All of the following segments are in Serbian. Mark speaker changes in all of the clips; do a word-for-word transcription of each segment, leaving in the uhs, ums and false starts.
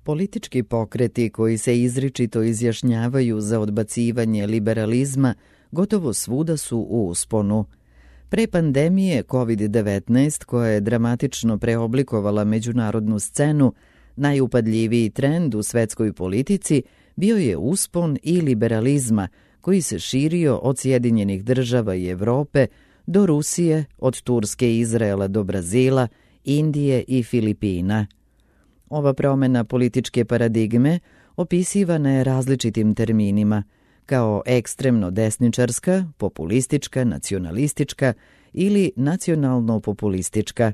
Speaker 1: Politički pokreti koji se izričito izjašnjavaju za odbacivanje liberalizma gotovo svuda su u usponu. Pre pandemije kovid devetnaest, koja je dramatično preoblikovala međunarodnu scenu, najupadljiviji trend u svetskoj politici bio je uspon i liberalizma, koji se širio od Sjedinjenih država i Evrope do Rusije, od Turske i Izraela do Brazila, Indije i Filipina. Ova promena političke paradigme opisivana je različitim terminima, kao ekstremno desničarska, populistička, nacionalistička ili nacionalno-populistička.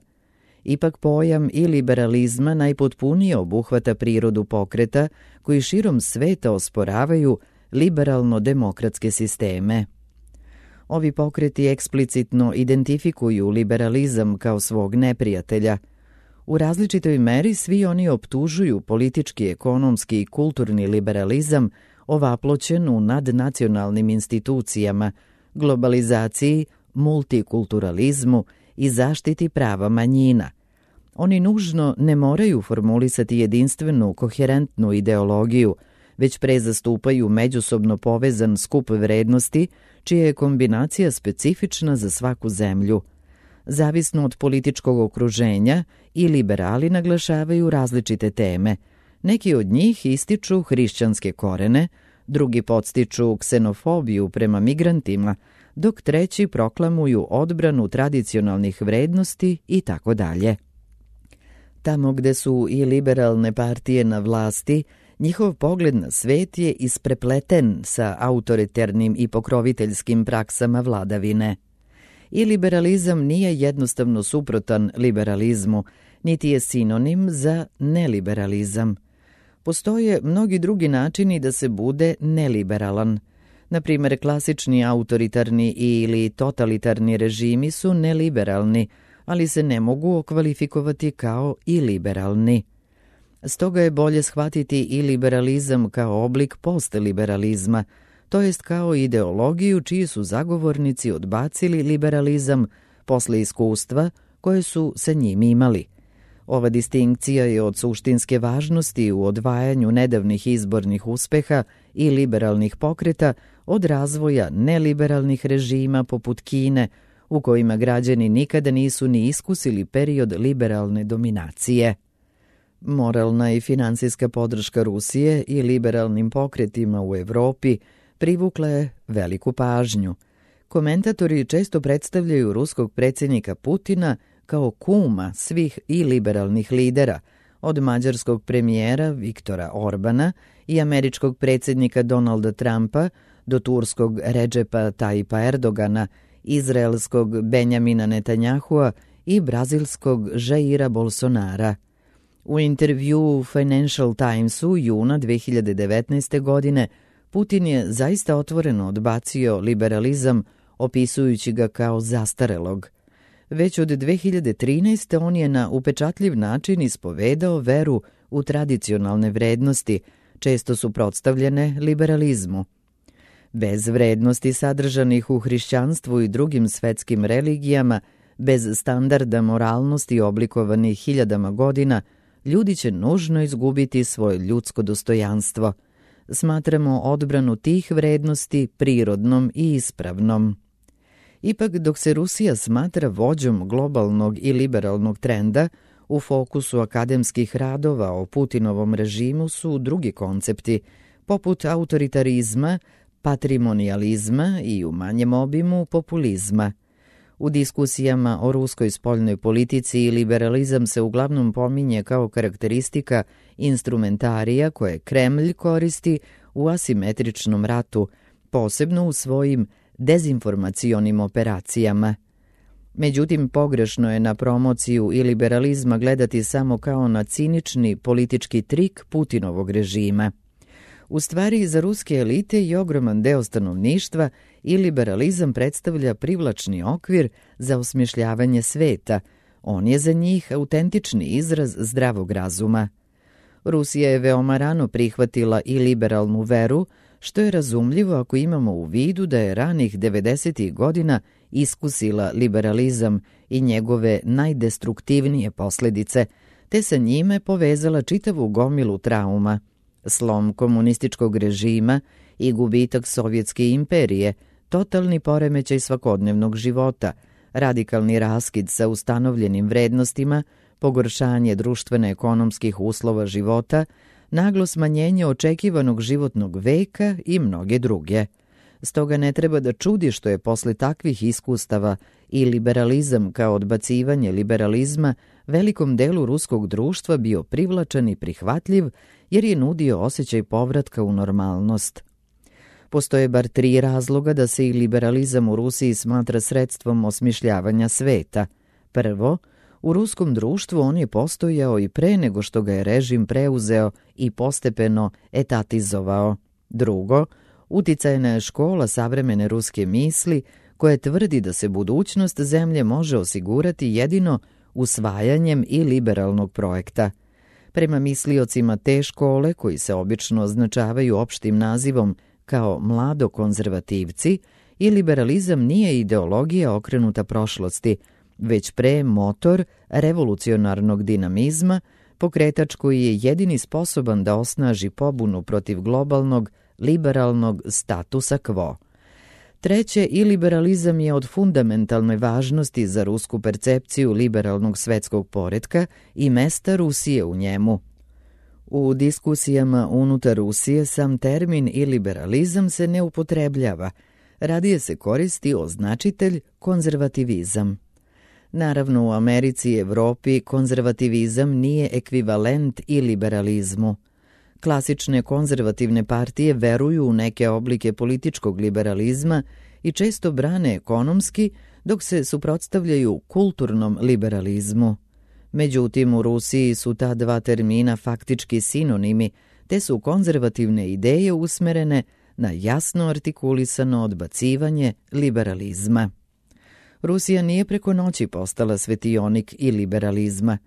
Speaker 1: Ipak pojam i liberalizma najpotpunije obuhvata prirodu pokreta koji širom sveta osporavaju liberalno-demokratske sisteme. Ovi pokreti eksplicitno identifikuju liberalizam kao svog neprijatelja. U različitoj meri svi oni optužuju politički, ekonomski i kulturni liberalizam ovaploćen u nadnacionalnim institucijama, globalizaciji, multikulturalizmu i zaštiti prava manjina. Oni nužno ne moraju formulisati jedinstvenu, koherentnu ideologiju, već pre zastupaju međusobno povezan skup vrednosti, čija je kombinacija specifična za svaku zemlju. Zavisno od političkog okruženja, i liberali naglašavaju različite teme. Neki od njih ističu hrišćanske korene, drugi podstiču ksenofobiju prema migrantima, dok treći proklamuju odbranu tradicionalnih vrednosti i tako dalje. Tamo gde su i liberalne partije na vlasti, njihov pogled na svet je isprepleten sa autoritarnim i pokroviteljskim praksama vladavine. I liberalizam nije jednostavno suprotan liberalizmu, niti je sinonim za neliberalizam. Postoje mnogi drugi načini da se bude neliberalan. Na primjer, klasični autoritarni ili totalitarni režimi su neliberalni, ali se ne mogu okvalifikovati kao i liberalni. Stoga je bolje shvatiti i liberalizam kao oblik postliberalizma, to jest kao ideologiju čiji su zagovornici odbacili liberalizam posle iskustva koje su sa njim imali. Ova distinkcija je od suštinske važnosti u odvajanju nedavnih izbornih uspeha i liberalnih pokreta od razvoja neliberalnih režima poput Kine, u kojima građani nikada nisu ni iskusili period liberalne dominacije. Moralna i finansijska podrška Rusije i liberalnim pokretima u Evropi privukla je veliku pažnju. Komentatori često predstavljaju ruskog predsjednika Putina kao kuma svih i liberalnih lidera, od mađarskog premijera Viktora Orbana i američkog predsjednika Donalda Trumpa do turskog Redžepa Tajipa Erdogana, izraelskog Benjamina Netanjahua i brazilskog Jaira Bolsonara. U intervjuu Financial Timesu juna dve hiljade devetnaeste. godine Putin je zaista otvoreno odbacio liberalizam, opisujući ga kao zastarelog. Već od dve hiljade trinaeste. on je na upečatljiv način ispovedao veru u tradicionalne vrednosti, često suprotstavljene liberalizmu. Bez vrednosti sadržanih u hrišćanstvu i drugim svetskim religijama, bez standarda moralnosti oblikovanih hiljadama godina, ljudi će nužno izgubiti svoje ljudsko dostojanstvo. Smatramo odbranu tih vrednosti prirodnom i ispravnom. Ipak, dok se Rusija smatra vođom globalnog i liberalnog trenda, u fokusu akademskih radova o Putinovom režimu su drugi koncepti, poput autoritarizma, patrimonializma i u manjem obimu populizma. U diskusijama o ruskoj spoljnoj politici liberalizam se uglavnom pominje kao karakteristika instrumentarija koje Kremlj koristi u asimetričnom ratu, posebno u svojim dezinformacionim operacijama. Međutim, pogrešno je na promociju i liberalizma gledati samo kao na cinični politički trik Putinovog režima. U stvari, za ruske elite i ogroman deo stanovništva i liberalizam predstavlja privlačni okvir za osmišljavanje sveta. On je za njih autentični izraz zdravog razuma. Rusija je veoma rano prihvatila i liberalnu veru, što je razumljivo ako imamo u vidu da je ranih devedesetih godina iskusila liberalizam i njegove najdestruktivnije posledice, te sa njime povezala čitavu gomilu trauma, slom komunističkog režima i gubitak Sovjetske imperije, totalni poremećaj svakodnevnog života, radikalni raskid sa ustanovljenim vrednostima, pogoršanje društveno-ekonomskih uslova života, naglo smanjenje očekivanog životnog veka i mnoge druge. Stoga ne treba da čudi što je posle takvih iskustava i liberalizam kao odbacivanje liberalizma velikom delu ruskog društva bio privlačan i prihvatljiv jer je nudio osjećaj povratka u normalnost. Postoje bar tri razloga da se i liberalizam u Rusiji smatra sredstvom osmišljavanja sveta. Prvo, u ruskom društvu on je postojao i pre nego što ga je režim preuzeo i postepeno etatizovao. Drugo, uticajna je škola savremene ruske misli koja tvrdi da se budućnost zemlje može osigurati jedino usvajanjem i liberalnog projekta. Prema misliocima te škole, koji se obično označavaju opštim nazivom kao mlado-konzervativci, i liberalizam nije ideologija okrenuta prošlosti, već pre motor revolucionarnog dinamizma, pokretač koji je jedini sposoban da osnaži pobunu protiv globalnog, liberalnog statusa quo. Treće, i liberalizam je od fundamentalne važnosti za rusku percepciju liberalnog svetskog poretka i mesta Rusije u njemu. U diskusijama unutar Rusije sam termin i liberalizam se ne upotrebljava, radije se koristi označitelj konzervativizam. Naravno, u Americi i Evropi konzervativizam nije ekvivalent i liberalizmu. Klasične konzervativne partije veruju u neke oblike političkog liberalizma i često brane ekonomski, dok se suprotstavljaju kulturnom liberalizmu. Međutim, u Rusiji su ta dva termina faktički sinonimi, te su konzervativne ideje usmerene na jasno artikulisano odbacivanje liberalizma. Rusija nije preko noći postala svetionik i liberalizma.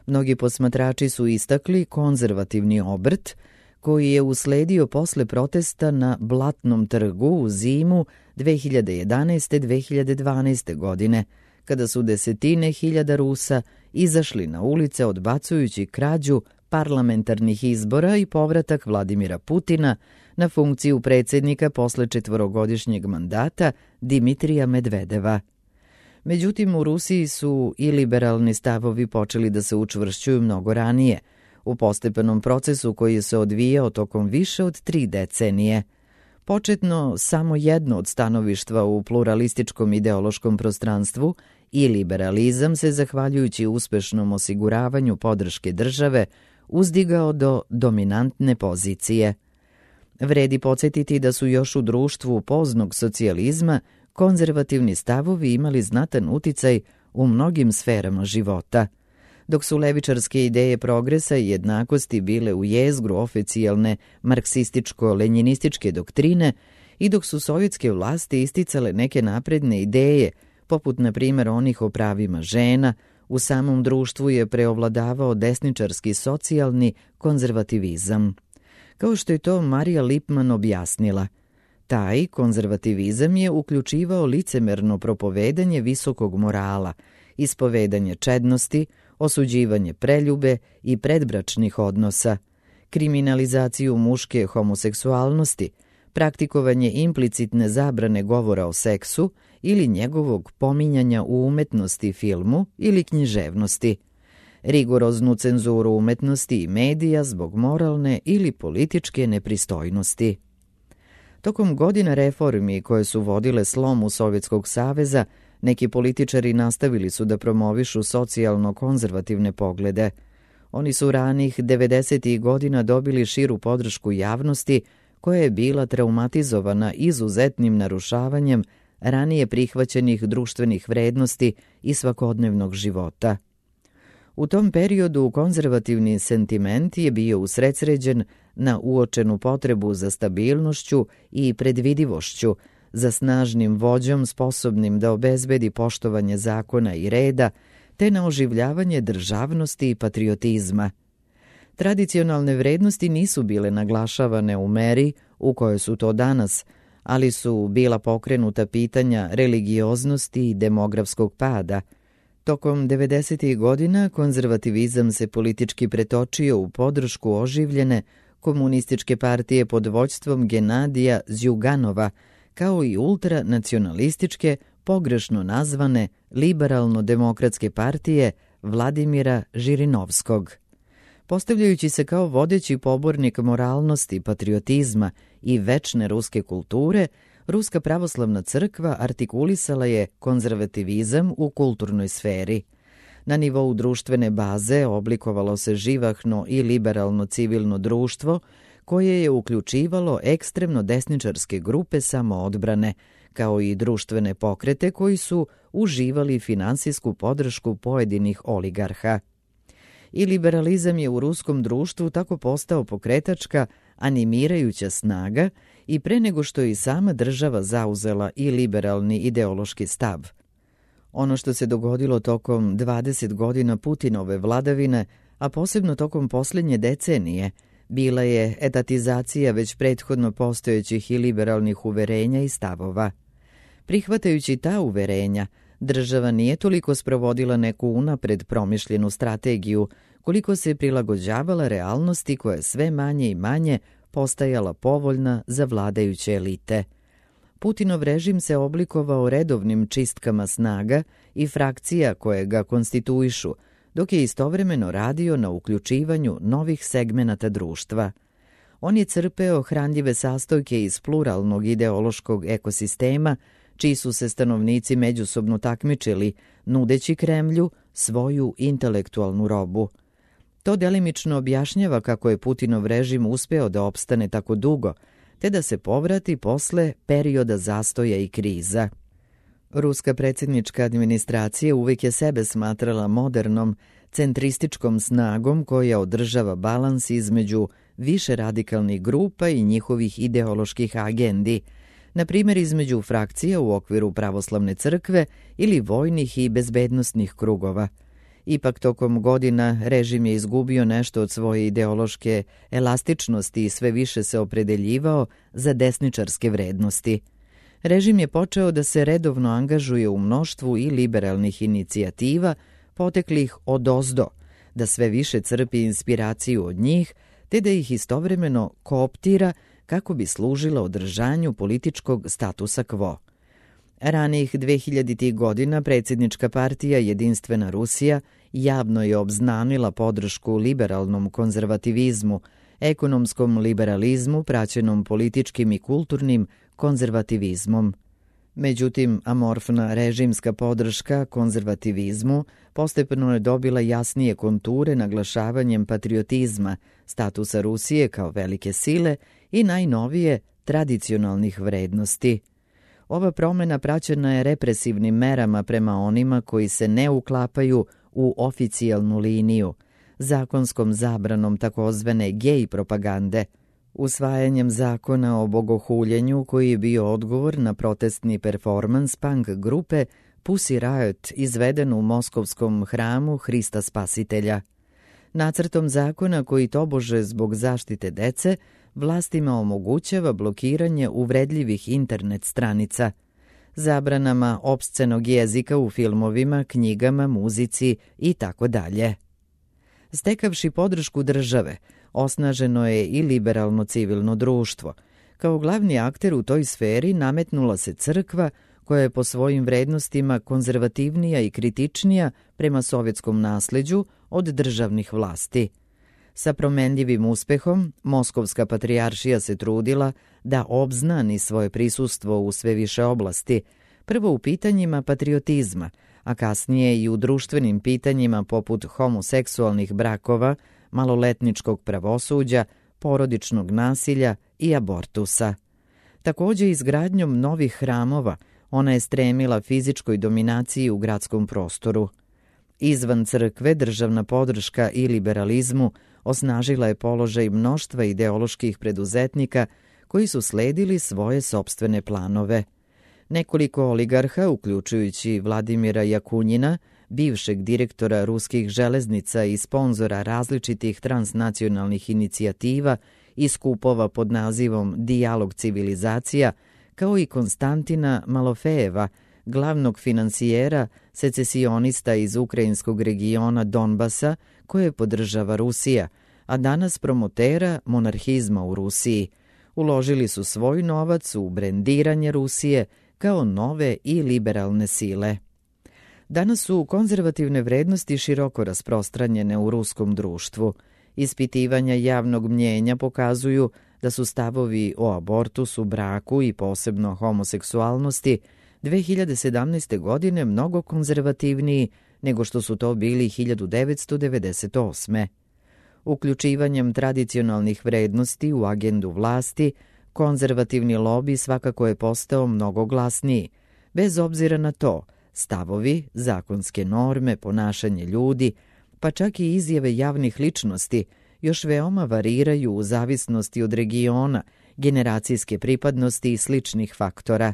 Speaker 1: Mnogi posmatrači su istakli konzervativni obrt koji je usledio posle protesta na Blatnom trgu u zimu dve hiljade jedanaeste do dve hiljade dvanaeste. godine, kada su desetine hiljada Rusa izašli na ulice odbacujući krađu parlamentarnih izbora i povratak Vladimira Putina na funkciju predsjednika posle četvorogodišnjeg mandata Dimitrija Medvedeva. Međutim, u Rusiji su i liberalni stavovi počeli da se učvršćuju mnogo ranije, u postepenom procesu koji je se odvijao tokom više od tri decenije. Početno samo jedno od stanovištva u pluralističkom ideološkom prostranstvu i liberalizam se, zahvaljujući uspešnom osiguravanju podrške države, uzdigao do dominantne pozicije. Vredi podsjetiti da su još u društvu poznog socijalizma konzervativni stavovi imali znatan uticaj u mnogim sferama života. Dok su levičarske ideje progresa i jednakosti bile u jezgru oficijalne marksističko-lenjinističke doktrine i dok su sovjetske vlasti isticale neke napredne ideje, poput na primjer onih o pravima žena, u samom društvu je preovladavao desničarski socijalni konzervativizam. Kao što je to Marija Lipman objasnila, taj konzervativizam je uključivao licemerno propovedanje visokog morala, ispovedanje čednosti, osuđivanje preljube i predbračnih odnosa, kriminalizaciju muške homoseksualnosti, praktikovanje implicitne zabrane govora o seksu ili njegovog pominjanja u umetnosti, filmu ili književnosti, rigoroznu cenzuru umetnosti i medija zbog moralne ili političke nepristojnosti. Tokom godina reformi koje su vodile slomu Sovjetskog saveza, neki političari nastavili su da promovišu socijalno-konzervativne poglede. Oni su ranih devedesetih godina dobili širu podršku javnosti koja je bila traumatizovana izuzetnim narušavanjem ranije prihvaćenih društvenih vrednosti i svakodnevnog života. U tom periodu konzervativni sentiment je bio usredsređen na uočenu potrebu za stabilnošću i predvidivošću, za snažnim vođom sposobnim da obezbedi poštovanje zakona i reda, te na oživljavanje državnosti i patriotizma. Tradicionalne vrednosti nisu bile naglašavane u meri u kojoj su to danas, ali su bila pokrenuta pitanja religioznosti i demografskog pada. Tokom devedesetih godina konzervativizam se politički pretočio u podršku oživljene komunističke partije pod vođstvom Genadija Zjuganova, kao i ultranacionalističke, pogrešno nazvane liberalno-demokratske partije Vladimira Žirinovskog. Postavljajući se kao vodeći pobornik moralnosti, patriotizma i večne ruske kulture, Ruska pravoslavna crkva artikulisala je konzervativizam u kulturnoj sferi. Na nivou društvene baze oblikovalo se živahno i liberalno civilno društvo koje je uključivalo ekstremno desničarske grupe samoodbrane, kao i društvene pokrete koji su uživali finansijsku podršku pojedinih oligarha. I liberalizam je u ruskom društvu tako postao pokretačka, animirajuća snaga i pre nego što je i sama država zauzela i liberalni ideološki stav. Ono što se dogodilo tokom dvadeset godina Putinove vladavine, a posebno tokom posljednje decenije, bila je etatizacija već prethodno postojećih i liberalnih uverenja i stavova. Prihvatajući ta uverenja, država nije toliko sprovodila neku unapred promišljenu strategiju, koliko se prilagođavala realnosti koja je sve manje i manje postajala povoljna za vladajuće elite. Putinov režim se oblikovao redovnim čistkama snaga i frakcija koje ga konstituišu, dok je istovremeno radio na uključivanju novih segmenata društva. On je crpeo hranljive sastojke iz pluralnog ideološkog ekosistema, čiji su se stanovnici međusobno takmičili, nudeći Kremlju svoju intelektualnu robu. To delimično objašnjava kako je Putinov režim uspeo da opstane tako dugo, te da se povrati posle perioda zastoja i kriza. Ruska predsjednička administracija uvijek je sebe smatrala modernom, centrističkom snagom koja održava balans između više radikalnih grupa i njihovih ideoloških agendi, na primjer između frakcija u okviru pravoslavne crkve ili vojnih i bezbednosnih krugova. Ipak tokom godina režim je izgubio nešto od svoje ideološke elastičnosti i sve više se opredeljivao za desničarske vrednosti. Režim je počeo da se redovno angažuje u mnoštvu i liberalnih inicijativa, poteklih odozdo, da sve više crpi inspiraciju od njih, te da ih istovremeno kooptira kako bi služila održanju političkog statusa quo. Ranijih dvehiljaditih godina predsjednička partija Jedinstvena Rusija javno je obznanila podršku liberalnom konzervativizmu, ekonomskom liberalizmu praćenom političkim i kulturnim konzervativizmom. Međutim, amorfna režimska podrška konzervativizmu postepeno je dobila jasnije konture naglašavanjem patriotizma, statusa Rusije kao velike sile i najnovije tradicionalnih vrednosti. Ova promjena praćena je represivnim merama prema onima koji se ne uklapaju u oficijalnu liniju, zakonskom zabranom takozvane gej propagande, usvajanjem zakona o bogohuljenju koji je bio odgovor na protestni performans punk grupe Pussy Riot izveden u moskovskom hramu Hrista Spasitelja. Nacrtom zakona koji tobože zbog zaštite dece vlastima omogućava blokiranje uvredljivih internet stranica, zabranama opscenog jezika u filmovima, knjigama, muzici i tako dalje. Stekavši podršku države, osnaženo je i liberalno civilno društvo. Kao glavni akter u toj sferi nametnula se crkva koja je po svojim vrednostima konzervativnija i kritičnija prema sovjetskom nasleđu od državnih vlasti. Sa promenljivim uspehom, Moskovska patrijaršija se trudila da obznani svoje prisustvo u sve više oblasti, prvo u pitanjima patriotizma, a kasnije i u društvenim pitanjima poput homoseksualnih brakova, maloletničkog pravosuđa, porodičnog nasilja i abortusa. Također izgradnjom novih hramova ona je stremila fizičkoj dominaciji u gradskom prostoru. Izvan crkve državna podrška i liberalizmu osnažila je položaj mnoštva ideoloških preduzetnika koji su sledili svoje sopstvene planove. Nekoliko oligarha, uključujući Vladimira Jakunjina, bivšeg direktora ruskih železnica i sponzora različitih transnacionalnih inicijativa i skupova pod nazivom Dijalog civilizacija, kao i Konstantina Malofejeva, glavnog finansijera secesionista iz ukrajinskog regiona Donbasa koje podržava Rusija, a danas promotera monarhizma u Rusiji. Uložili su svoj novac u brendiranje Rusije kao nove i liberalne sile. Danas su konzervativne vrednosti široko rasprostranjene u ruskom društvu. Ispitivanja javnog mnjenja pokazuju da su stavovi o abortusu, braku i posebno homoseksualnosti dve hiljade sedamnaeste. godine mnogo konzervativniji nego što su to bili hiljadu devetsto devedeset osme. Uključivanjem tradicionalnih vrednosti u agendu vlasti, konzervativni lobi svakako je postao mnogo glasniji. Bez obzira na to, stavovi, zakonske norme, ponašanje ljudi, pa čak i izjave javnih ličnosti još veoma variraju u zavisnosti od regiona, generacijske pripadnosti i sličnih faktora.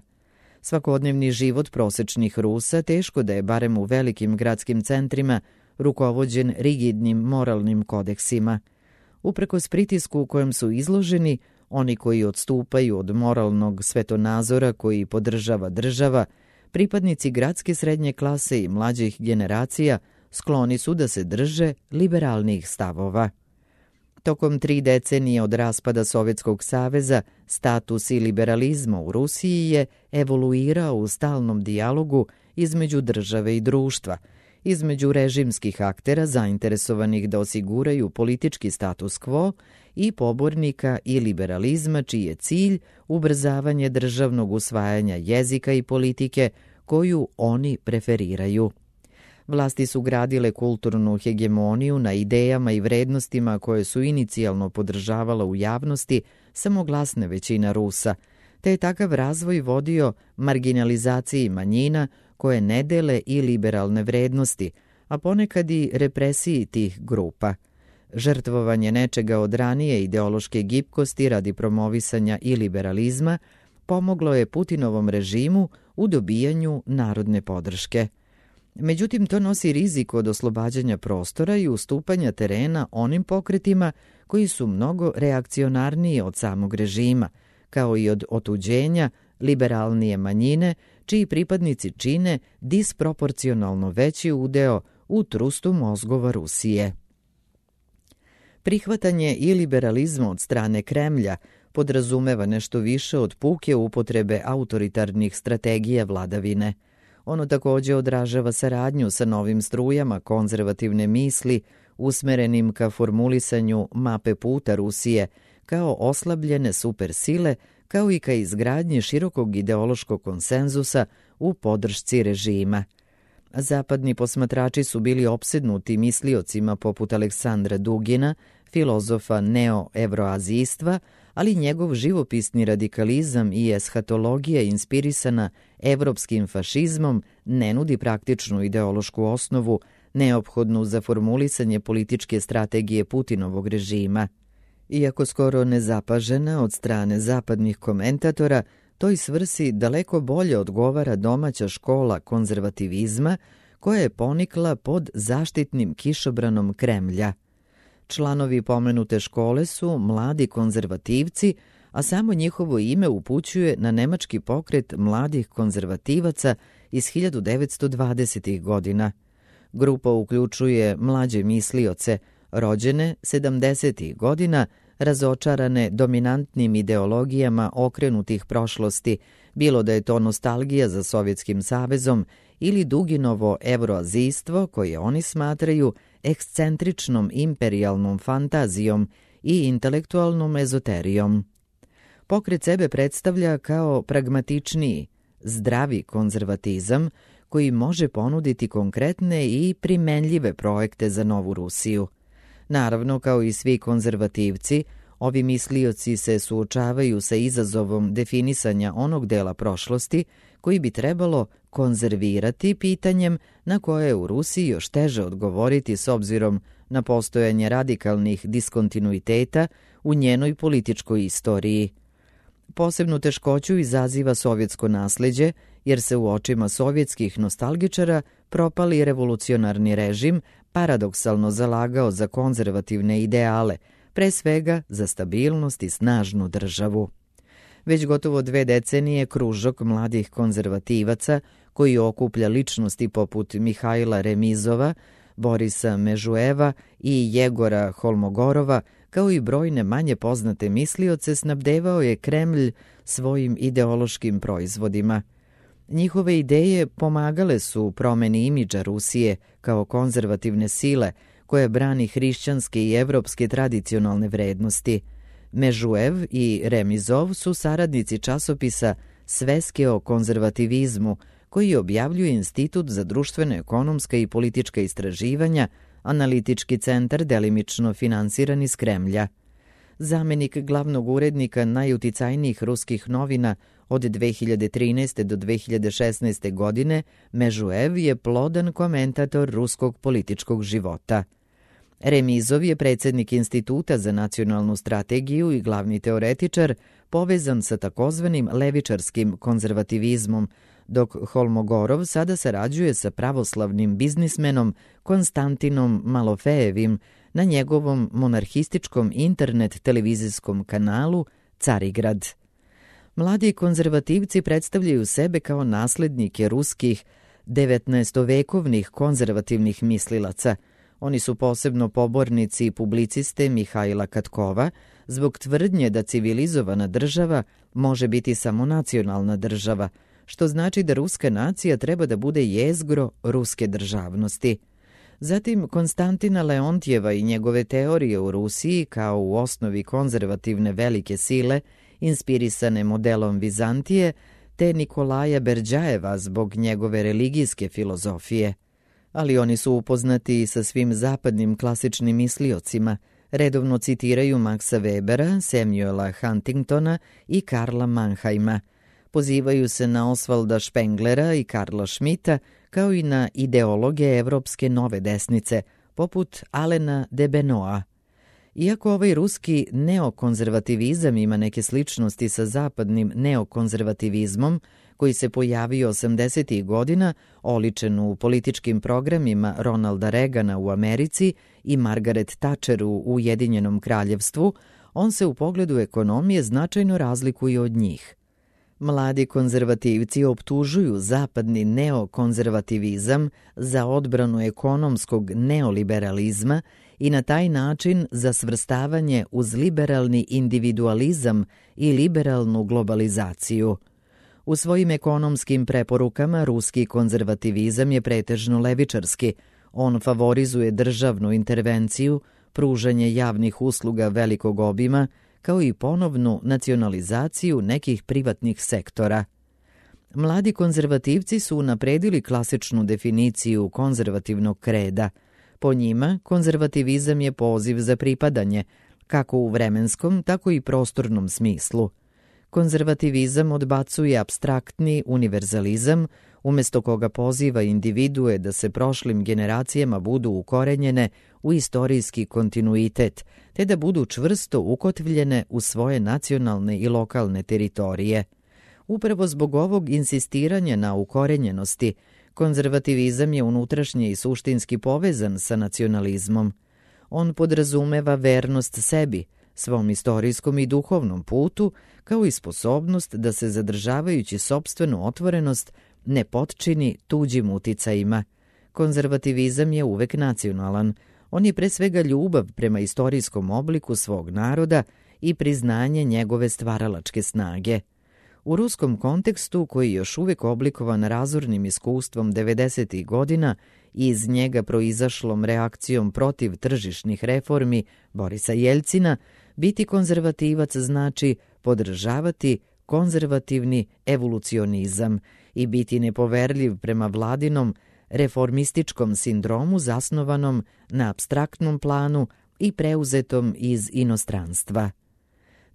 Speaker 1: Svakodnevni život prosečnih Rusa teško da je, barem u velikim gradskim centrima, rukovođen rigidnim moralnim kodeksima. Uprkos pritisku u kojem su izloženi, oni koji odstupaju od moralnog svetonazora koji podržava država, pripadnici gradske srednje klase i mlađih generacija skloni su da se drže liberalnih stavova. Tokom tri decenije od raspada Sovjetskog saveza, status i liberalizma u Rusiji je evoluirao u stalnom dijalogu između države i društva, između režimskih aktera zainteresovanih da osiguraju politički status quo i pobornika i liberalizma čiji je cilj ubrzavanje državnog usvajanja jezika i politike koju oni preferiraju. Vlasti su gradile kulturnu hegemoniju na idejama i vrednostima koje su inicijalno podržavala u javnosti samo glasna većina Rusa, te je takav razvoj vodio marginalizaciji manjina koje ne dele i liberalne vrednosti, a ponekad i represiji tih grupa. Žrtvovanje nečega od ranije ideološke gibkosti radi promovisanja i liberalizma pomoglo je Putinovom režimu u dobijanju narodne podrške. Međutim, to nosi rizik od oslobađanja prostora i ustupanja terena onim pokretima koji su mnogo reakcionarniji od samog režima, kao i od otuđenja liberalnije manjine, čiji pripadnici čine disproporcionalno veći udeo u trustu mozgova Rusije. Prihvatanje i liberalizma od strane Kremlja podrazumeva nešto više od puke upotrebe autoritarnih strategija vladavine. Ono također odražava saradnju sa novim strujama konzervativne misli usmerenim ka formulisanju mape puta Rusije kao oslabljene supersile, kao i ka izgradnji širokog ideološkog konsenzusa u podršci režima. Zapadni posmatrači su bili opsednuti misliocima poput Aleksandra Dugina, filozofa neo-evroazijstva, ali njegov živopisni radikalizam i eshatologija inspirisana evropskim fašizmom ne nudi praktičnu ideološku osnovu neophodnu za formulisanje političke strategije Putinovog režima. Iako skoro nezapažena od strane zapadnih komentatora, toj svrsi daleko bolje odgovara domaća škola konzervativizma koja je ponikla pod zaštitnim kišobranom Kremlja. Članovi pomenute škole su mladi konzervativci, a samo njihovo ime upućuje na nemački pokret mladih konzervativaca iz hiljadu devetsto dvadesetih godina. Grupa uključuje mlađe mislioce, rođene sedamdesetih godina, razočarane dominantnim ideologijama okrenutih prošlosti, bilo da je to nostalgija za Sovjetskim savezom ili Duginovo evroazijstvo koje oni smatraju ekscentričnom imperijalnom fantazijom i intelektualnom ezoterijom. Pokret sebe predstavlja kao pragmatičniji, zdravi konzervatizam koji može ponuditi konkretne i primenljive projekte za novu Rusiju. Naravno, kao i svi konzervativci, ovi mislioci se suočavaju sa izazovom definisanja onog dela prošlosti koji bi trebalo konzervirati pitanjem na koje je u Rusiji još teže odgovoriti s obzirom na postojanje radikalnih diskontinuiteta u njenoj političkoj istoriji. Posebnu teškoću izaziva sovjetsko nasleđe, jer se u očima sovjetskih nostalgičara propali revolucionarni režim paradoksalno zalagao za konzervativne ideale, pre svega za stabilnost i snažnu državu. Već gotovo dve decenije kružok mladih konzervativaca koji okuplja ličnosti poput Mihajla Remizova, Borisa Mežueva i Jegora Holmogorova, kao i brojne manje poznate mislioce, snabdevao je Kremlj svojim ideološkim proizvodima. Njihove ideje pomagale su promeni imidža Rusije kao konzervativne sile koja brani hrišćanske i evropske tradicionalne vrednosti. Mežuev i Remizov su saradnici časopisa Sveske o konzervativizmu, koji objavljuje Institut za društveno-ekonomska i politička istraživanja, analitički centar delimično finansiran iz Kremlja. Zamenik glavnog urednika najuticajnijih ruskih novina od dve hiljade trinaeste. do dve hiljade šesnaeste. godine, Mežuev je plodan komentator ruskog političkog života. Remizov je predsjednik Instituta za nacionalnu strategiju i glavni teoretičar povezan sa takozvanim levičarskim konzervativizmom, dok Holmogorov sada sarađuje sa pravoslavnim biznismenom Konstantinom Malofejevim na njegovom monarhističkom internet televizijskom kanalu Carigrad. Mladi konzervativci predstavljaju sebe kao naslednike ruskih devetnaestovekovnih konzervativnih mislilaca. Oni su posebno pobornici publiciste Mihajla Katkova zbog tvrdnje da civilizovana država može biti samo nacionalna država, što znači da ruska nacija treba da bude jezgro ruske državnosti. Zatim Konstantina Leontjeva i njegove teorije u Rusiji kao u osnovi konzervativne velike sile, inspirisane modelom Vizantije, te Nikolaja Berdjajeva zbog njegove religijske filozofije. Ali oni su upoznati i sa svim zapadnim klasičnim misliocima, redovno citiraju Maxa Webera, Samuela Huntingtona i Karla Mannheima. Pozivaju se na Osvalda Špenglera i Karla Schmidta, kao i na ideologe evropske nove desnice, poput Alena de Benoa. Iako ovaj ruski neokonzervativizam ima neke sličnosti sa zapadnim neokonzervativizmom, koji se pojavio osamdesetih godina, oličen u političkim programima Ronalda Reagana u Americi i Margaret Thatcher u Ujedinjenom kraljevstvu, on se u pogledu ekonomije značajno razlikuje od njih. Mladi konzervativci optužuju zapadni neokonzervativizam za odbranu ekonomskog neoliberalizma i na taj način za svrstavanje uz liberalni individualizam i liberalnu globalizaciju. U svojim ekonomskim preporukama ruski konzervativizam je pretežno levičarski. On favorizuje državnu intervenciju, pružanje javnih usluga velikog obima, kao i ponovnu nacionalizaciju nekih privatnih sektora. Mladi konzervativci su unapredili klasičnu definiciju konzervativnog kreda. Po njima, konzervativizam je poziv za pripadanje, kako u vremenskom, tako i prostornom smislu. Konzervativizam odbacuje apstraktni univerzalizam, umjesto koga poziva individue da se prošlim generacijama budu ukorenjene u istorijski kontinuitet, te da budu čvrsto ukotvljene u svoje nacionalne i lokalne teritorije. Upravo zbog ovog insistiranja na ukorenjenosti, konzervativizam je unutrašnje i suštinski povezan sa nacionalizmom. On podrazumeva vernost sebi, svom istorijskom i duhovnom putu, kao i sposobnost da se zadržavajući sopstvenu otvorenost ne potčini tuđim uticajima. Konzervativizam je uvek nacionalan. On je pre svega ljubav prema istorijskom obliku svog naroda i priznanje njegove stvaralačke snage. U ruskom kontekstu, koji je još uvek oblikovan razornim iskustvom devedesetih godina i iz njega proizašlom reakcijom protiv tržišnih reformi Borisa Jeljcina, biti konzervativac znači podržavati konzervativni evolucionizam i biti nepoverljiv prema vladinom reformističkom sindromu zasnovanom na apstraktnom planu i preuzetom iz inostranstva.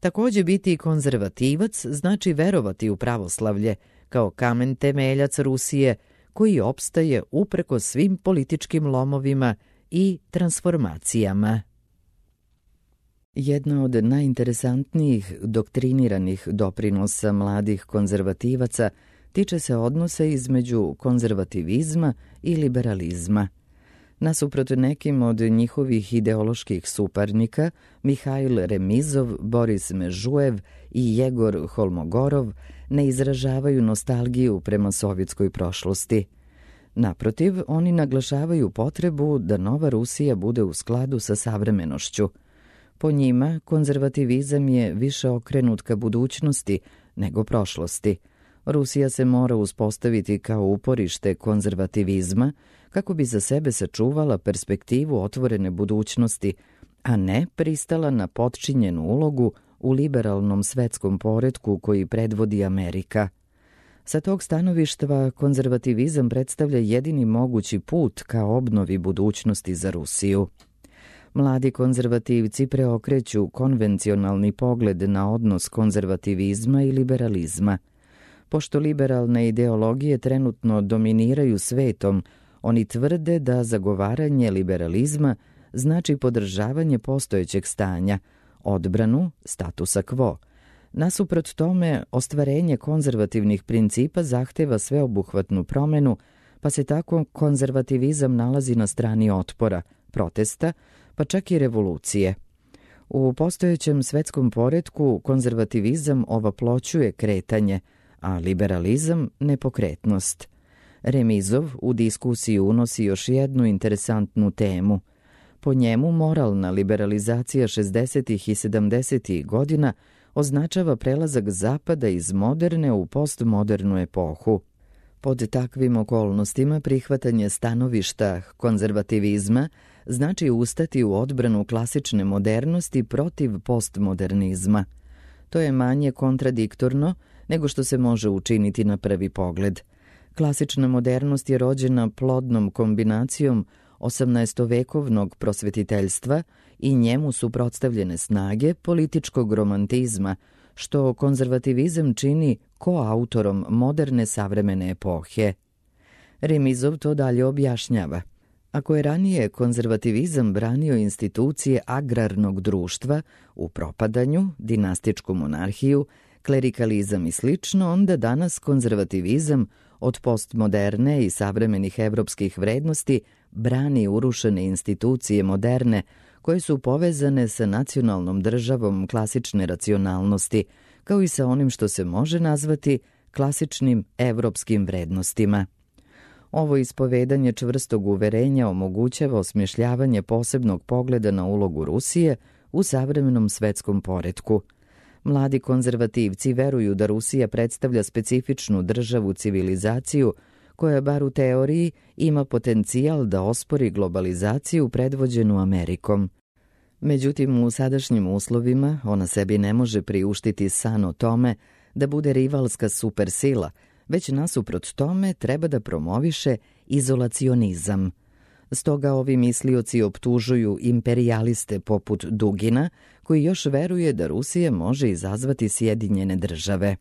Speaker 1: Također biti konzervativac znači verovati u pravoslavlje kao kamen temeljac Rusije koji opstaje upreko svim političkim lomovima i transformacijama. Jedna od najinteresantnijih doktriniranih doprinosa mladih konzervativaca tiče se odnosa između konzervativizma i liberalizma. Nasuprot nekim od njihovih ideoloških suparnika, Mihail Remizov, Boris Mežujev i Jegor Holmogorov ne izražavaju nostalgiju prema sovjetskoj prošlosti. Naprotiv, oni naglašavaju potrebu da nova Rusija bude u skladu sa savremenošću. Po njima, konzervativizam je više okrenut ka budućnosti nego prošlosti. Rusija se mora uspostaviti kao uporište konzervativizma kako bi za sebe sačuvala perspektivu otvorene budućnosti, a ne pristala na potčinjenu ulogu u liberalnom svetskom poretku koji predvodi Amerika. Sa tog stanovištva konzervativizam predstavlja jedini mogući put ka obnovi budućnosti za Rusiju. Mladi konzervativci preokreću konvencionalni pogled na odnos konzervativizma i liberalizma. Pošto liberalne ideologije trenutno dominiraju svetom, oni tvrde da zagovaranje liberalizma znači podržavanje postojećeg stanja, odbranu statusa quo. Nasuprot tome, ostvarenje konzervativnih principa zahteva sveobuhvatnu promenu, pa se tako konzervativizam nalazi na strani otpora, protesta, pa čak i revolucije. U postojećem svetskom poretku konzervativizam ovaploćuje kretanje, a liberalizam nepokretnost. Remizov u diskusiju unosi još jednu interesantnu temu. Po njemu moralna liberalizacija šezdesetih i sedamdesetih godina označava prelazak Zapada iz moderne u postmodernu epohu. Pod takvim okolnostima prihvatanje stanovišta konzervativizma znači ustati u odbranu klasične modernosti protiv postmodernizma. To je manje kontradiktorno nego što se može učiniti na prvi pogled. Klasična modernost je rođena plodnom kombinacijom osamnaestovekovnog prosvetiteljstva i njemu suprotstavljene snage političkog romantizma, što konzervativizam čini koautorom moderne savremene epohe. Remizov to dalje objašnjava. Ako je ranije konzervativizam branio institucije agrarnog društva u propadanju, dinastičku monarhiju, klerikalizam i slično, onda danas konzervativizam od postmoderne i savremenih evropskih vrednosti brani urušene institucije moderne koje su povezane sa nacionalnom državom klasične racionalnosti, kao i sa onim što se može nazvati klasičnim evropskim vrednostima. Ovo ispovedanje čvrstog uverenja omogućava osmišljavanje posebnog pogleda na ulogu Rusije u savremenom svetskom poretku. Mladi konzervativci veruju da Rusija predstavlja specifičnu državu civilizaciju koja, bar u teoriji, ima potencijal da ospori globalizaciju predvođenu Amerikom. Međutim, u sadašnjim uslovima ona sebi ne može priuštiti san o tome da bude rivalska supersila, već nasuprot tome treba da promoviše izolacionizam. Stoga ovi mislioci optužuju imperijaliste poput Dugina, koji još veruje da Rusija može izazvati Sjedinjene države.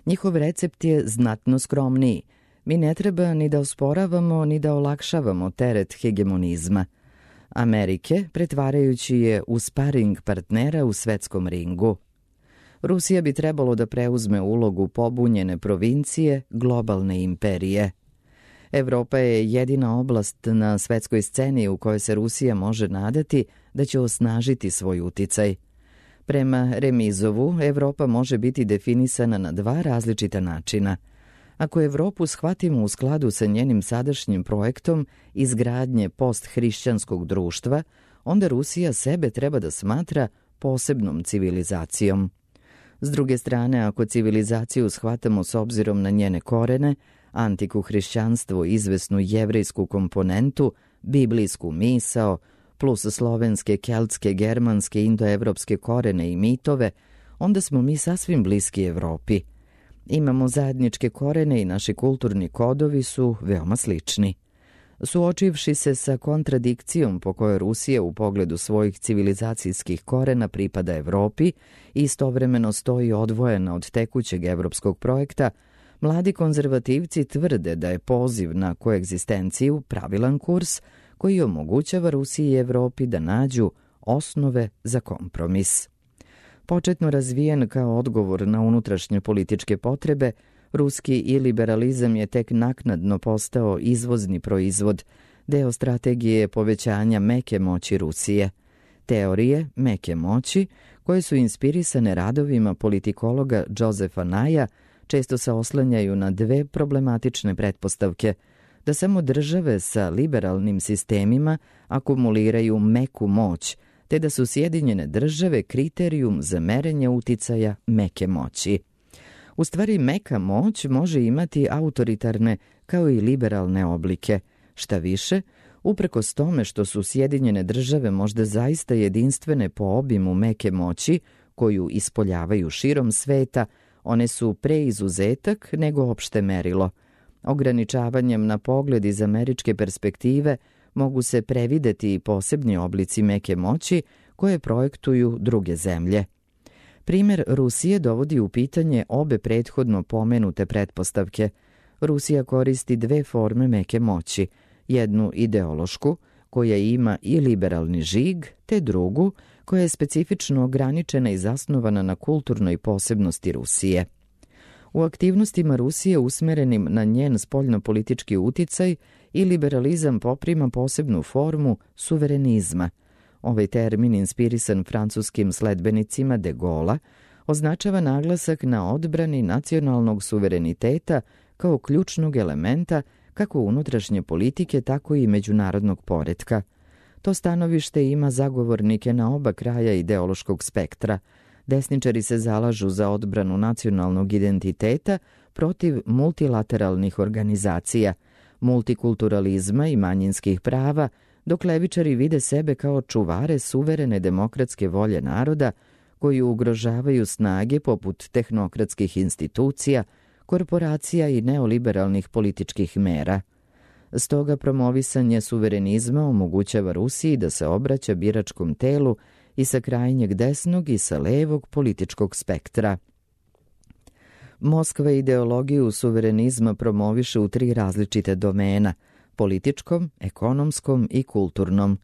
Speaker 1: Njihov recept je znatno skromniji. Mi ne treba ni da osporavamo, ni da olakšavamo teret hegemonizma Amerike, pretvarajući je u sparing partnera u svetskom ringu. Rusija bi trebalo da preuzme ulogu pobunjene provincije, globalne imperije. Evropa je jedina oblast na svetskoj sceni u kojoj se Rusija može nadati da će osnažiti svoj uticaj. Prema Remizovu, Evropa može biti definisana na dva različita načina. Ako Evropu shvatimo u skladu sa njenim sadašnjim projektom izgradnje posthrišćanskog društva, onda Rusija sebe treba da smatra posebnom civilizacijom. S druge strane, ako civilizaciju shvatamo s obzirom na njene korene, antiku hrišćanstvo, izvesnu jevrejsku komponentu, biblijsku misao, plus slovenske, keltske, germanske, indoevropske korene i mitove, onda smo mi sasvim bliski Evropi. Imamo zajedničke korene i naši kulturni kodovi su veoma slični. Suočivši se sa kontradikcijom po kojoj Rusija u pogledu svojih civilizacijskih korena pripada Evropi i istovremeno stoji odvojena od tekućeg evropskog projekta, mladi konzervativci tvrde da je poziv na koegzistenciju pravilan kurs koji omogućava Rusiji i Evropi da nađu osnove za kompromis. Početno razvijen kao odgovor na unutrašnje političke potrebe, ruski iliberalizam je tek naknadno postao izvozni proizvod, deo strategije povećanja meke moći Rusije. Teorije meke moći, koje su inspirisane radovima politikologa Josefa Naya, često se oslanjaju na dve problematične pretpostavke: da samo države sa liberalnim sistemima akumuliraju meku moć, te da su Sjedinjene države kriterijum za merenje uticaja meke moći. U stvari, meka moć može imati autoritarne kao i liberalne oblike. Šta više, uprkos tome što su Sjedinjene države možda zaista jedinstvene po obimu meke moći koju ispoljavaju širom sveta, one su pre izuzetak nego opšte merilo. Ograničavanjem na pogled iz američke perspektive mogu se prevideti i posebni oblici meke moći koje projektuju druge zemlje. Primer Rusije dovodi u pitanje obe prethodno pomenute pretpostavke. Rusija koristi dve forme meke moći, jednu ideološku, koja ima i liberalni žig, te drugu, koja je specifično ograničena i zasnovana na kulturnoj posebnosti Rusije. U aktivnostima Rusije usmerenim na njen spoljnopolitički uticaj i liberalizam poprima posebnu formu suverenizma. Ovaj termin, inspirisan francuskim sledbenicima de Gaulle'a, označava naglasak na odbrani nacionalnog suvereniteta kao ključnog elementa kako unutrašnje politike, tako i međunarodnog poretka. To stanovište ima zagovornike na oba kraja ideološkog spektra. Desničari se zalažu za odbranu nacionalnog identiteta protiv multilateralnih organizacija, multikulturalizma i manjinskih prava, dok levičari vide sebe kao čuvare suverene demokratske volje naroda koji ugrožavaju snage poput tehnokratskih institucija, korporacija i neoliberalnih političkih mera. Stoga promovisanje suverenizma omogućava Rusiji da se obraća biračkom telu i sa krajnjeg desnog i sa levog političkog spektra. Moskva ideologiju suverenizma promoviše u tri različite domena: političkom, ekonomskom i kulturnom.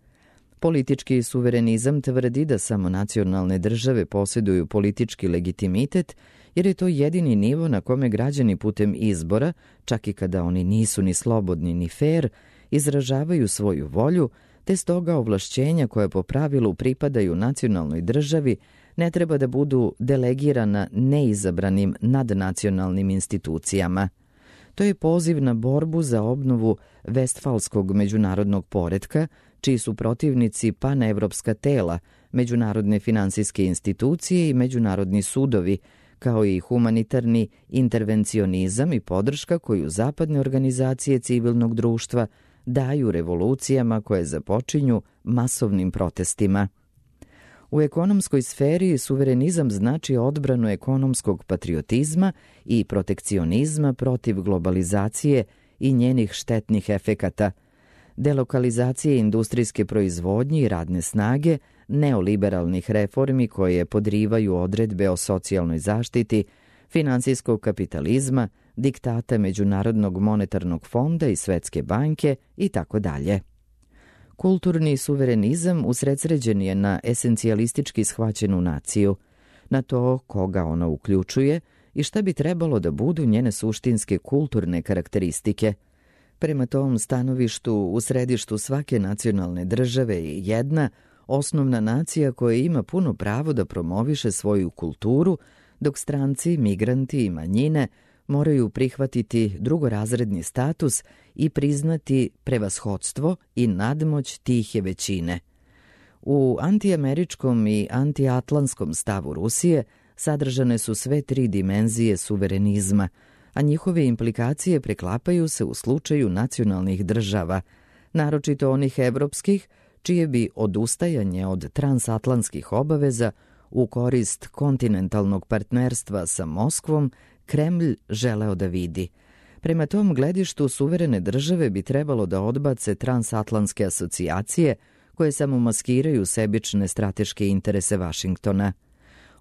Speaker 1: Politički suverenizam tvrdi da samo nacionalne države posjeduju politički legitimitet, jer je to jedini nivo na kome građani putem izbora, čak i kada oni nisu ni slobodni ni fer, izražavaju svoju volju, te stoga ovlašćenja koja po pravilu pripadaju nacionalnoj državi ne treba da budu delegirana neizabranim nadnacionalnim institucijama. To je poziv na borbu za obnovu vestfalskog međunarodnog poretka, čiji su protivnici panevropska tela, međunarodne finansijske institucije i međunarodni sudovi, kao i humanitarni intervencionizam i podrška koju zapadne organizacije civilnog društva daju revolucijama koje započinju masovnim protestima. U ekonomskoj sferi suverenizam znači odbranu ekonomskog patriotizma i protekcionizma protiv globalizacije i njenih štetnih efekata, delokalizacije industrijske proizvodnje i radne snage, neoliberalnih reformi koje podrivaju odredbe o socijalnoj zaštiti, finansijskog kapitalizma, diktata Međunarodnog monetarnog fonda i Svetske banke itd. Kulturni suverenizam usredsređen je na esencijalistički shvaćenu naciju, na to koga ona uključuje i šta bi trebalo da budu njene suštinske kulturne karakteristike. Prema tom stanovištu u središtu svake nacionalne države je jedna osnovna nacija koja ima puno pravo da promoviše svoju kulturu, dok stranci, migranti i manjine moraju prihvatiti drugorazredni status i priznati prevashodstvo i nadmoć tihe većine. U antiameričkom i antiatlantskom stavu Rusije sadržane su sve tri dimenzije suverenizma, a njihove implikacije preklapaju se u slučaju nacionalnih država, naročito onih evropskih, čije bi odustajanje od transatlantskih obaveza u korist kontinentalnog partnerstva sa Moskvom Kremlj želeo da vidi. Prema tom gledištu suverene države bi trebalo da odbace transatlantske asocijacije koje samo maskiraju sebične strateške interese Vašingtona.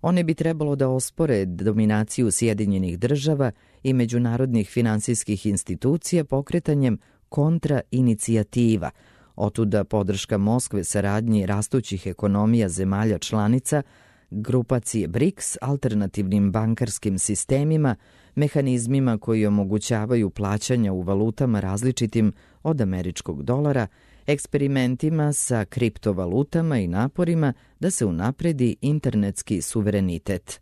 Speaker 1: One bi trebalo da ospore dominaciju Sjedinjenih država i međunarodnih finansijskih institucija pokretanjem kontrainicijativa, otuda podrška Moskve saradnji rastućih ekonomija zemalja članica, grupacije BRICS, alternativnim bankarskim sistemima, mehanizmima koji omogućavaju plaćanja u valutama različitim od američkog dolara, eksperimentima sa kriptovalutama i naporima da se unapredi internetski suverenitet.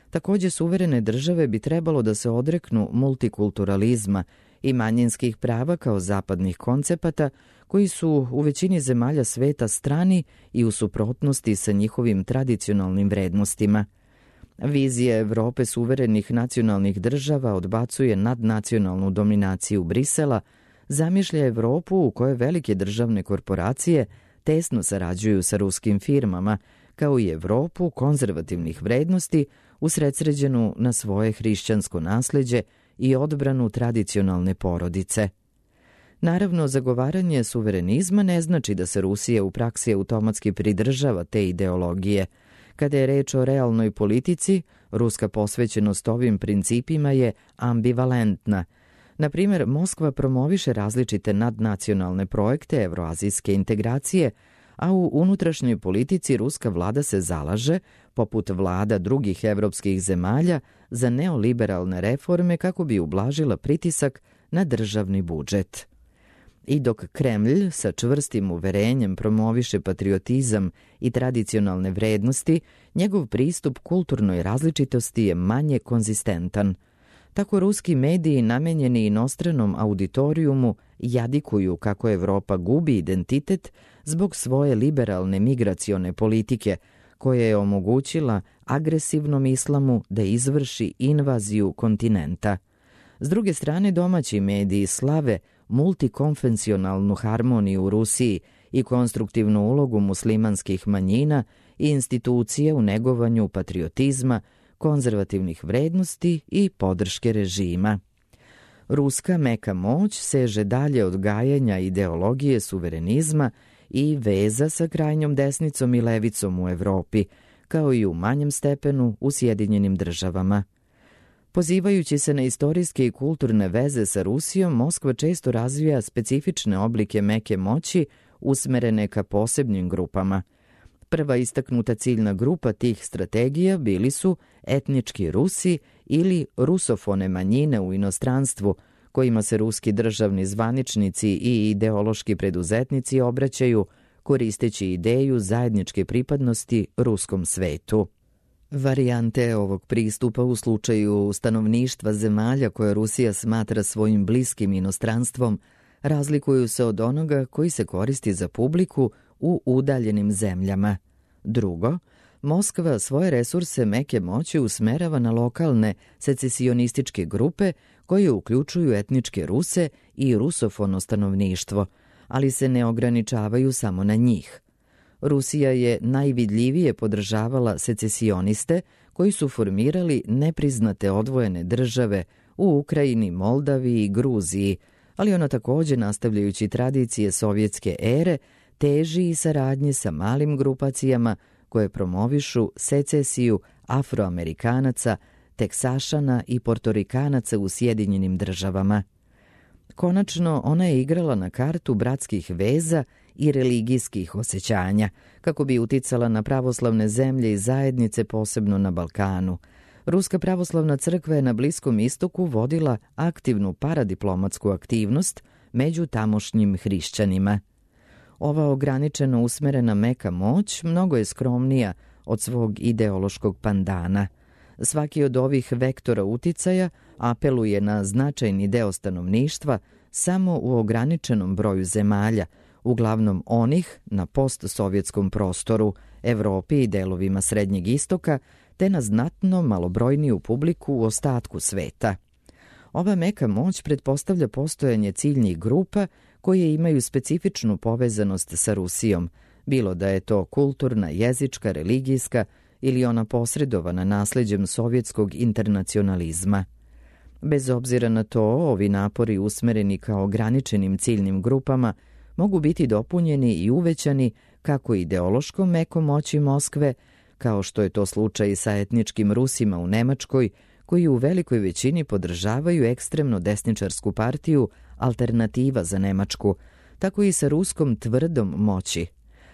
Speaker 1: Takođe, suverene države bi trebalo da se odreknu multikulturalizma i manjinskih prava kao zapadnih koncepata koji su u većini zemalja sveta strani i u suprotnosti sa njihovim tradicionalnim vrednostima. Vizija Evrope suverenih nacionalnih država odbacuje nadnacionalnu dominaciju Brisela, zamišlja Evropu u kojoj velike državne korporacije tesno sarađuju sa ruskim firmama, kao i Evropu konzervativnih vrednosti usredsređenu na svoje hrišćansko nasleđe i odbranu tradicionalne porodice. Naravno, zagovaranje suverenizma ne znači da se Rusija u praksi automatski pridržava te ideologije. Kada je reč o realnoj politici, ruska posvećenost ovim principima je ambivalentna. Na primjer, Moskva promoviše različite nadnacionalne projekte evroazijske integracije, a u unutrašnjoj politici ruska vlada se zalaže, poput vlada drugih evropskih zemalja, za neoliberalne reforme kako bi ublažila pritisak na državni budžet. I dok Kremlj sa čvrstim uverenjem promoviše patriotizam i tradicionalne vrednosti, njegov pristup kulturnoj različitosti je manje konzistentan. Tako ruski mediji namenjeni inostranom auditorijumu jadikuju kako Evropa gubi identitet zbog svoje liberalne migracione politike, koja je omogućila agresivnom islamu da izvrši invaziju kontinenta. S druge strane, domaći mediji slave multikonfesionalnu harmoniju u Rusiji i konstruktivnu ulogu muslimanskih manjina i institucije u negovanju patriotizma, konzervativnih vrednosti i podrške režima. Ruska meka moć seže dalje od gajenja ideologije suverenizma i veza sa krajnjom desnicom i levicom u Evropi, kao i u manjem stepenu u Sjedinjenim državama. Pozivajući se na istorijske i kulturne veze sa Rusijom, Moskva često razvija specifične oblike meke moći usmerene ka posebnim grupama. Prva istaknuta ciljna grupa tih strategija bili su etnički Rusi ili rusofone manjine u inostranstvu, kojima se ruski državni zvaničnici i ideološki preduzetnici obraćaju, koristeći ideju zajedničke pripadnosti ruskom svetu. Varijante ovog pristupa u slučaju stanovništva zemalja koje Rusija smatra svojim bliskim inostranstvom razlikuju se od onoga koji se koristi za publiku u udaljenim zemljama. Drugo, Moskva svoje resurse meke moći usmerava na lokalne secesionističke grupe koje uključuju etničke Ruse i rusofono stanovništvo, ali se ne ograničavaju samo na njih. Rusija je najvidljivije podržavala secesioniste koji su formirali nepriznate odvojene države u Ukrajini, Moldaviji i Gruziji, ali ona takođe, nastavljajući tradicije sovjetske ere, teži i saradnje sa malim grupacijama koje promovišu secesiju Afroamerikanaca, Teksašana i Portorikanaca u Sjedinjenim državama. Konačno, ona je igrala na kartu bratskih veza i religijskih osjećanja, kako bi uticala na pravoslavne zemlje i zajednice, posebno na Balkanu. Ruska pravoslavna crkva je na Bliskom istoku vodila aktivnu paradiplomatsku aktivnost među tamošnjim hrišćanima. Ova ograničeno usmerena meka moć mnogo je skromnija od svog ideološkog pandana. Svaki od ovih vektora uticaja apeluje na značajni deo stanovništva samo u ograničenom broju zemalja, uglavnom onih na postsovjetskom prostoru, Evropi i delovima Srednjeg istoka, te na znatno malobrojniju publiku u ostatku sveta. Ova meka moć pretpostavlja postojanje ciljnih grupa koje imaju specifičnu povezanost sa Rusijom, bilo da je to kulturna, jezička, religijska ili ona posredovana nasleđem sovjetskog internacionalizma. Bez obzira na to, ovi napori usmereni kao ograničenim ciljnim grupama mogu biti dopunjeni i uvećani kako ideološkom mekom moći Moskve, kao što je to slučaj sa etničkim Rusima u Nemačkoj, koji u velikoj većini podržavaju ekstremno desničarsku partiju Alternativa za Nemačku, tako i sa ruskom tvrdom moći.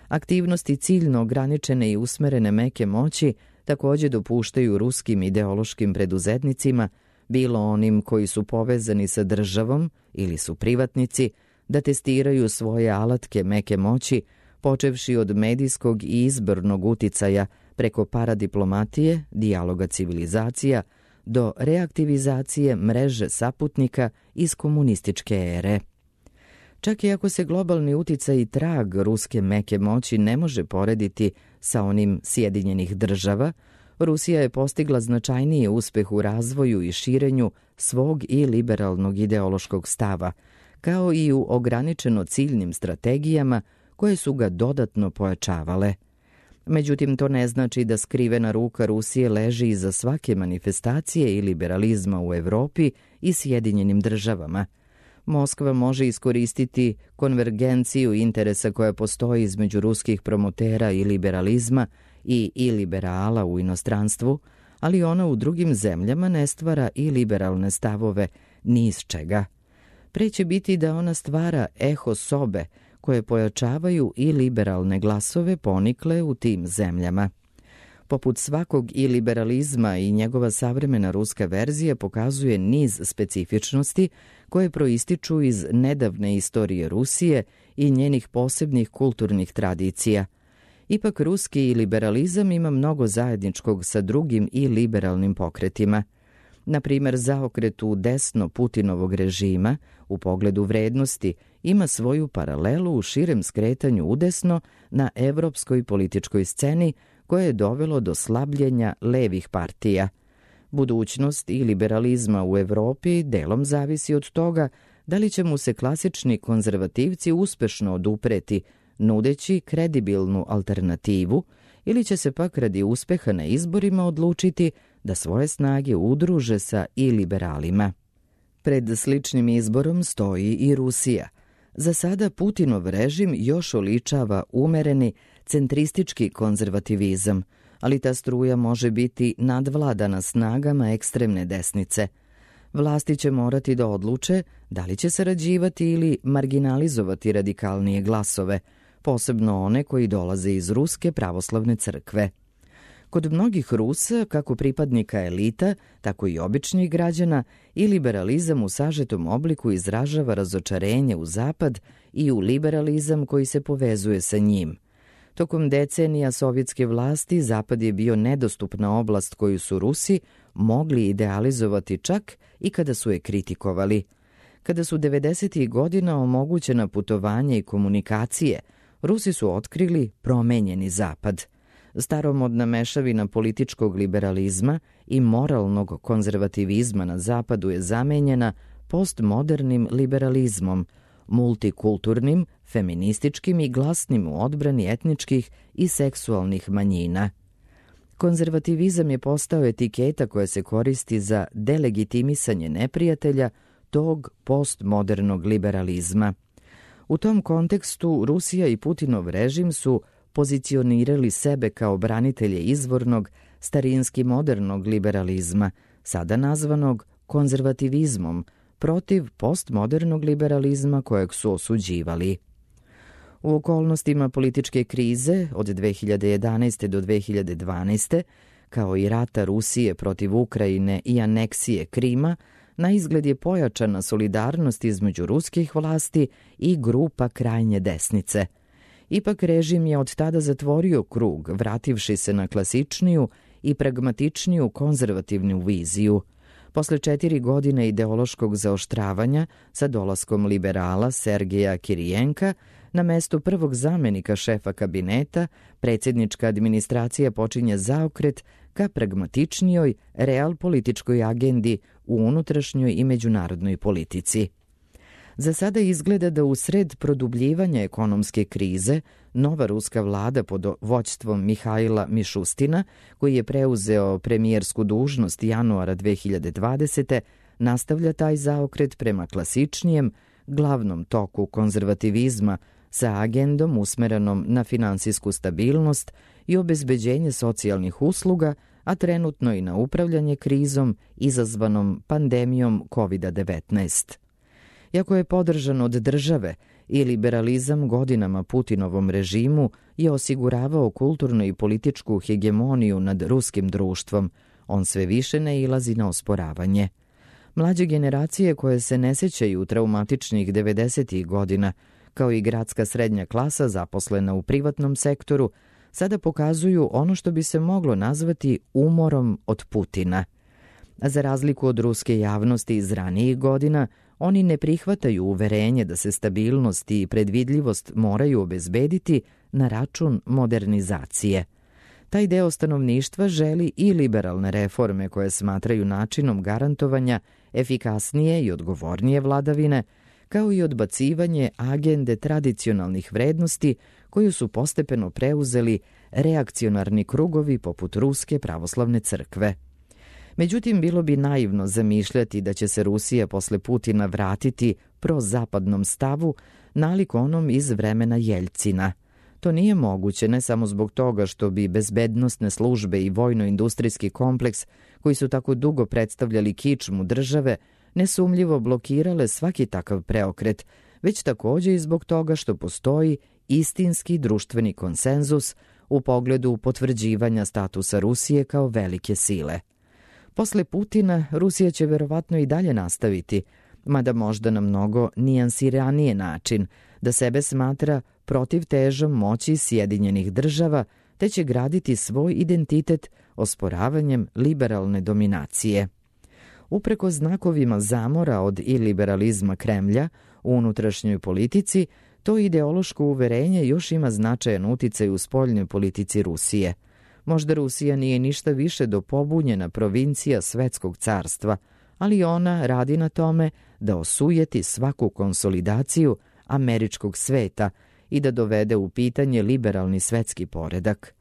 Speaker 1: Aktivnosti ciljno ograničene i usmerene meke moći takođe dopuštaju ruskim ideološkim preduzetnicima, bilo onim koji su povezani sa državom ili su privatnici, da testiraju svoje alatke meke moći, počevši od medijskog i izbornog uticaja preko paradiplomatije, dijaloga civilizacija, do reaktivizacije mreže saputnika iz komunističke ere. Čak i ako se globalni uticaj i trag ruske meke moći ne može porediti sa onim Sjedinjenih država, Rusija je postigla značajniji uspeh u razvoju i širenju svog i liberalnog ideološkog stava, kao i u ograničeno ciljnim strategijama koje su ga dodatno pojačavale. Međutim, to ne znači da skrivena ruka Rusije leži iza svake manifestacije i liberalizma u Evropi i Sjedinjenim državama. Moskva može iskoristiti konvergenciju interesa koja postoji između ruskih promotera i liberalizma i i liberala u inostranstvu, ali ona u drugim zemljama ne stvara i liberalne stavove ni iz čega. Pre će biti da ona stvara eho sobe koje pojačavaju i liberalne glasove ponikle u tim zemljama. Poput svakog i liberalizma i njegova savremena ruska verzija pokazuje niz specifičnosti koje proističu iz nedavne istorije Rusije i njenih posebnih kulturnih tradicija. Ipak ruski liberalizam ima mnogo zajedničkog sa drugim i liberalnim pokretima. Na primer, zaokret u desno Putinovog režima u pogledu vrednosti ima svoju paralelu u širem skretanju udesno na evropskoj političkoj sceni koje je dovelo do slabljenja levih partija. Budućnost i liberalizma u Evropi delom zavisi od toga da li će mu se klasični konzervativci uspešno odupreti, nudeći kredibilnu alternativu, ili će se pak radi uspeha na izborima odlučiti da svoje snage udruže sa i liberalima. Pred sličnim izborom stoji i Rusija. Za sada Putinov režim još oličava umereni, centristički konzervativizam, ali ta struja može biti nadvladana snagama ekstremne desnice. Vlasti će morati da odluče da li će sarađivati ili marginalizovati radikalnije glasove, posebno one koji dolaze iz Ruske pravoslavne crkve. Kod mnogih Rusa, kako pripadnika elita, tako i običnih građana, i liberalizam u sažetom obliku izražava razočarenje u Zapad i u liberalizam koji se povezuje sa njim. Tokom decenija sovjetske vlasti Zapad je bio nedostupna oblast koju su Rusi mogli idealizovati čak i kada su je kritikovali. Kada su devedesetih godina omogućena putovanje i komunikacije, Rusi su otkrili promenjeni Zapad. Staromodna mešavina političkog liberalizma i moralnog konzervativizma na Zapadu je zamenjena postmodernim liberalizmom, multikulturnim, feminističkim i glasnim u odbrani etničkih i seksualnih manjina. Konzervativizam je postao etiketa koja se koristi za delegitimisanje neprijatelja tog postmodernog liberalizma. U tom kontekstu Rusija i Putinov režim su pozicionirali sebe kao branitelje izvornog, starinski modernog liberalizma, sada nazvanog konzervativizmom, protiv postmodernog liberalizma kojeg su osuđivali. U okolnostima političke krize od dve hiljade jedanaeste. do dve hiljade dvanaeste. kao i rata Rusije protiv Ukrajine i aneksije Krima, na izgled je pojačana solidarnost između ruskih vlasti i grupa krajnje desnice. Ipak režim je od tada zatvorio krug, vrativši se na klasičniju i pragmatičniju konzervativnu viziju. Posle četiri godine ideološkog zaoštravanja, sa dolaskom liberala Sergeja Kirijenka, na mesto prvog zamenika šefa kabineta, predsjednička administracija počinje zaokret ka pragmatičnijoj, realpolitičkoj agendi u unutrašnjoj i međunarodnoj politici. Za sada izgleda da u sred produbljivanja ekonomske krize, nova ruska vlada pod vođstvom Mihajla Mišustina, koji je preuzeo premijersku dužnost januara dve hiljade dvadesete. nastavlja taj zaokret prema klasičnijem, glavnom toku konzervativizma sa agendom usmerenom na finansijsku stabilnost i obezbeđenje socijalnih usluga, a trenutno i na upravljanje krizom izazvanom pandemijom kovid devetnaest. Iako je podržan od države, i liberalizam godinama Putinovom režimu je osiguravao kulturnu i političku hegemoniju nad ruskim društvom, on sve više nailazi na osporavanje. Mlađe generacije koje se ne sećaju traumatičnih devedesetih godina, kao i gradska srednja klasa zaposlena u privatnom sektoru, sada pokazuju ono što bi se moglo nazvati umorom od Putina. A za razliku od ruske javnosti iz ranijih godina, oni ne prihvataju uverenje da se stabilnost i predvidljivost moraju obezbediti na račun modernizacije. Taj deo stanovništva želi i liberalne reforme koje smatraju načinom garantovanja efikasnije i odgovornije vladavine, kao i odbacivanje agende tradicionalnih vrednosti koju su postepeno preuzeli reakcionarni krugovi poput Ruske pravoslavne crkve. Međutim, bilo bi naivno zamišljati da će se Rusija posle Putina vratiti prozapadnom stavu nalik onom iz vremena Jeljcina. To nije moguće ne samo zbog toga što bi bezbednosne službe i vojno-industrijski kompleks, koji su tako dugo predstavljali kičmu države, nesumljivo blokirale svaki takav preokret, već takođe i zbog toga što postoji istinski društveni konsenzus u pogledu potvrđivanja statusa Rusije kao velike sile. Posle Putina, Rusija će verovatno i dalje nastaviti, mada možda na mnogo nijansiranije način, da sebe smatra protivtežom moći Sjedinjenih država, te će graditi svoj identitet osporavanjem liberalne dominacije. Upreko znakovima zamora od iliberalizma Kremlja u unutrašnjoj politici, to ideološko uverenje još ima značajan uticaj u spoljnoj politici Rusije. Možda Rusija nije ništa više do pobunjena provincija svetskog carstva, ali ona radi na tome da osujeti svaku konsolidaciju američkog sveta i da dovede u pitanje liberalni svetski poredak.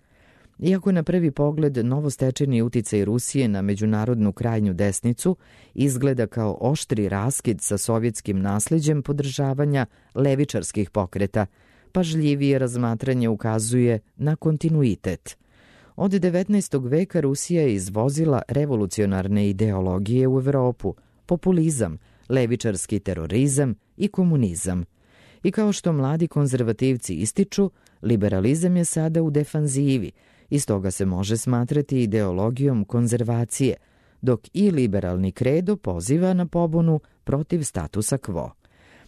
Speaker 1: Iako na prvi pogled novostečeni uticaj Rusije na međunarodnu krajnju desnicu izgleda kao oštri raskid sa sovjetskim nasleđem podržavanja levičarskih pokreta, pažljivije razmatranje ukazuje na kontinuitet. Od devetnaestog veka Rusija je izvozila revolucionarne ideologije u Evropu, populizam, levičarski terorizam i komunizam. I kao što mladi konzervativci ističu, liberalizam je sada u defanzivi i stoga se može smatrati ideologijom konzervacije, dok i liberalni kredo poziva na pobunu protiv statusa quo.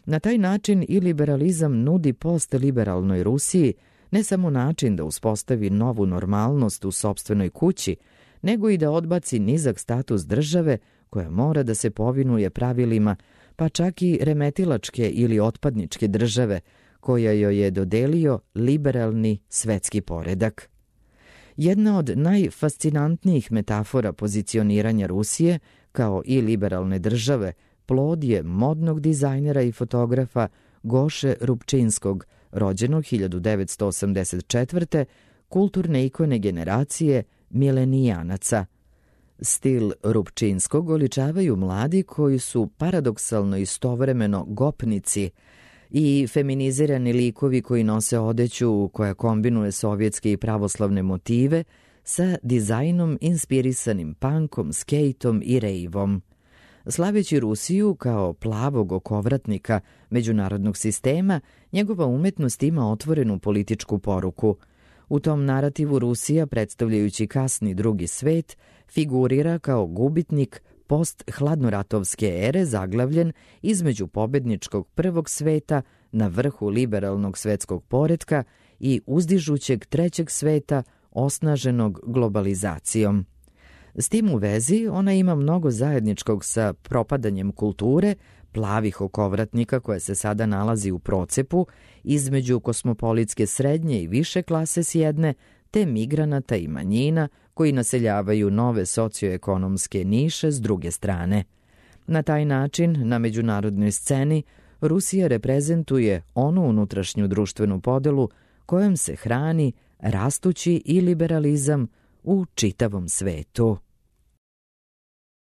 Speaker 1: Na taj način i liberalizam nudi postliberalnoj Rusiji ne samo način da uspostavi novu normalnost u sopstvenoj kući, nego i da odbaci nizak status države koja mora da se povinuje pravilima, pa čak i remetilačke ili otpadničke države, koja joj je dodelio liberalni svetski poredak. Jedna od najfascinantnijih metafora pozicioniranja Rusije kao i liberalne države plod je modnog dizajnera i fotografa Goše Rupčinskog, rođenog hiljadu devetsto osamdeset četvrte kulturne ikone generacije milenijanaca. Stil Rupčinskog oličavaju mladi koji su paradoksalno istovremeno gopnici i feminizirani likovi koji nose odeću koja kombinuje sovjetske i pravoslavne motive sa dizajnom inspirisanim punkom, skejtom i rejvom. Slaveći Rusiju kao plavog okovratnika međunarodnog sistema, njegova umetnost ima otvorenu političku poruku. U tom narativu Rusija, predstavljajući kasni drugi svet, figurira kao gubitnik post-hladnoratovske ere zaglavljen između pobedničkog prvog sveta na vrhu liberalnog svetskog poretka i uzdižućeg trećeg sveta osnaženog globalizacijom. S tim u vezi ona ima mnogo zajedničkog sa propadanjem kulture, plavih okovratnika koja se sada nalazi u procepu između kosmopolitske srednje i više klase s jedne, te migranata i manjina koji naseljavaju nove socioekonomske niše s druge strane. Na taj način, na međunarodnoj sceni, Rusija reprezentuje onu unutrašnju društvenu podelu kojom se hrani rastući i liberalizam u čitavom svetu.